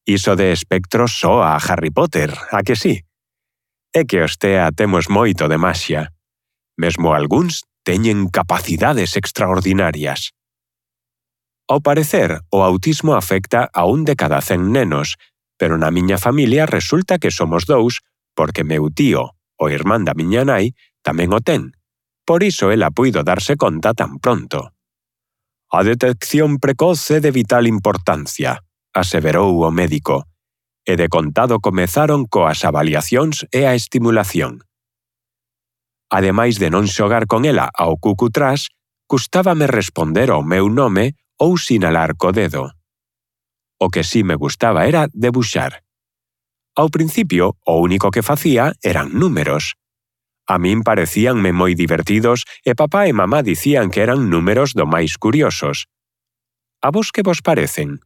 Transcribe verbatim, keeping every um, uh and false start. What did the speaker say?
Iso de espectros soa a Harry Potter, a que sí? É que os T E A temos moito de maxia. Mesmo algúns teñen capacidades extraordinarias. Ao parecer, o autismo afecta a un de cada cen nenos, pero na miña familia resulta que somos dous porque meu tío, o irmán da miña nai, tamén o ten. Por iso ela puido darse conta tan pronto. A detección precoz é de vital importancia, aseverou o médico, e de contado comezaron coas avaliacións e a estimulación. Ademais de non xogar con ela ao cucutrás, custábame responder ao meu nome ou sinalar co dedo. O que sí me gustaba era debuxar. Ao principio, o único que facía eran números. A min parecíanme moi divertidos e papá e mamá dicían que eran números do máis curiosos. A vos que vos parecen?